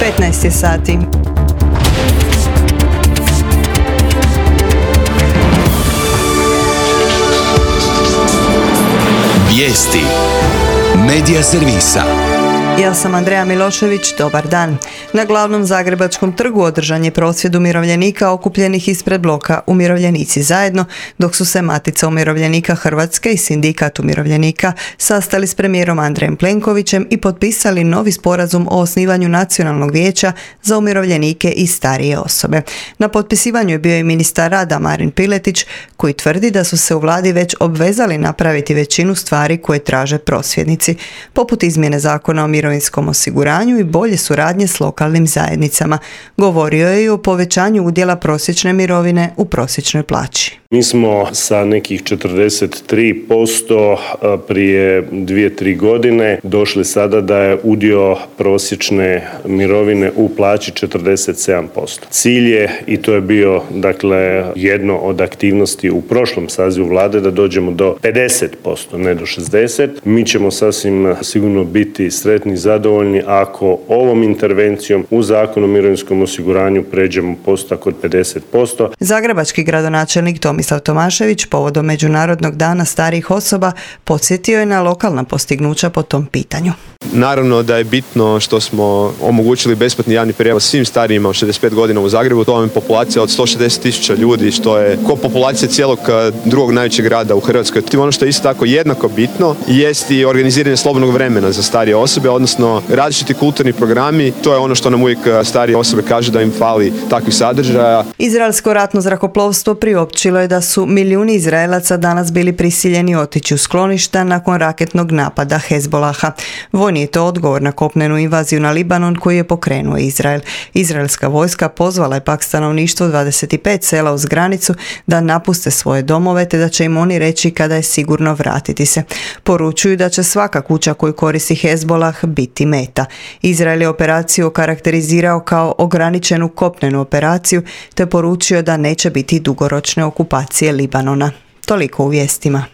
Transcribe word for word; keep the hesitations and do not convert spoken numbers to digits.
petnaest je sati. Vijesti Medija servisa. Ja sam Andreja Milošević, dobar dan. Na glavnom zagrebačkom trgu održan je prosvjed umirovljenika okupljenih ispred bloka Umirovljenici zajedno, dok su se Matica umirovljenika Hrvatske i Sindikat umirovljenika sastali s premijerom Andrejem Plenkovićem i potpisali novi sporazum o osnivanju Nacionalnog vijeća za umirovljenike i starije osobe. Na potpisivanju je bio i ministar rada Marin Piletić, koji tvrdi da su se u vladi već obvezali napraviti većinu stvari koje traže prosvjednici, poput izmjene zakona o mirovinskom osiguranju i bolje suradnje s lokalnim zajednicama. Govorio je i o povećanju udjela prosječne mirovine u prosječnoj plaći. Mi smo sa nekih četrdeset tri posto prije dvije, tri godine došli sada da je udio prosječne mirovine u plaći četrdeset sedam posto. Cilj je, i to je bio dakle jedno od aktivnosti u prošlom sazivu vlade, da dođemo do pedeset posto, ne do šezdeset. Mi ćemo sasvim sigurno biti sretni i zadovoljni ako ovom intervencijom u Zakonu o mirovinskom osiguranju pređemo postotak od pedeset posto. Zagrebački gradonačelnik Tomislav Tomašević povodom Međunarodnog dana starijih osoba podsjetio je na lokalna postignuća po tom pitanju. Naravno da je bitno što smo omogućili besplatni javni prijevoz svim starijima od šezdeset pet godina u Zagrebu. To je populacija od sto šezdeset tisuća ljudi, što je ko populacija cijelog drugog najvećeg grada u Hrvatskoj. Ono što je isto tako jednako bitno jest i organiziranje slobodnog vremena za starije osobe, odnosno različiti kulturni programi. To je ono što nam uvijek starije osobe kažu da im fali takvih sadržaja. Izraelsko ratno zrakoplovstvo priopćilo je da su milijuni Izraelaca danas bili prisiljeni otići u skloništa nakon raketnog napada Hezbolaha. Vojni je to odgovor na kopnenu invaziju na Libanon koji je pokrenuo Izrael. Izraelska vojska pozvala je pak stanovništvo dvadeset pet sela uz granicu da napuste svoje domove te da će im oni reći kada je sigurno vratiti se. Poručuju da će svaka kuća koju koristi Hezbolah biti meta. Izrael je operaciju okarakterizirao kao ograničenu kopnenu operaciju te poručio da neće biti dugoročne okupacije Libanona. Toliko u vijestima.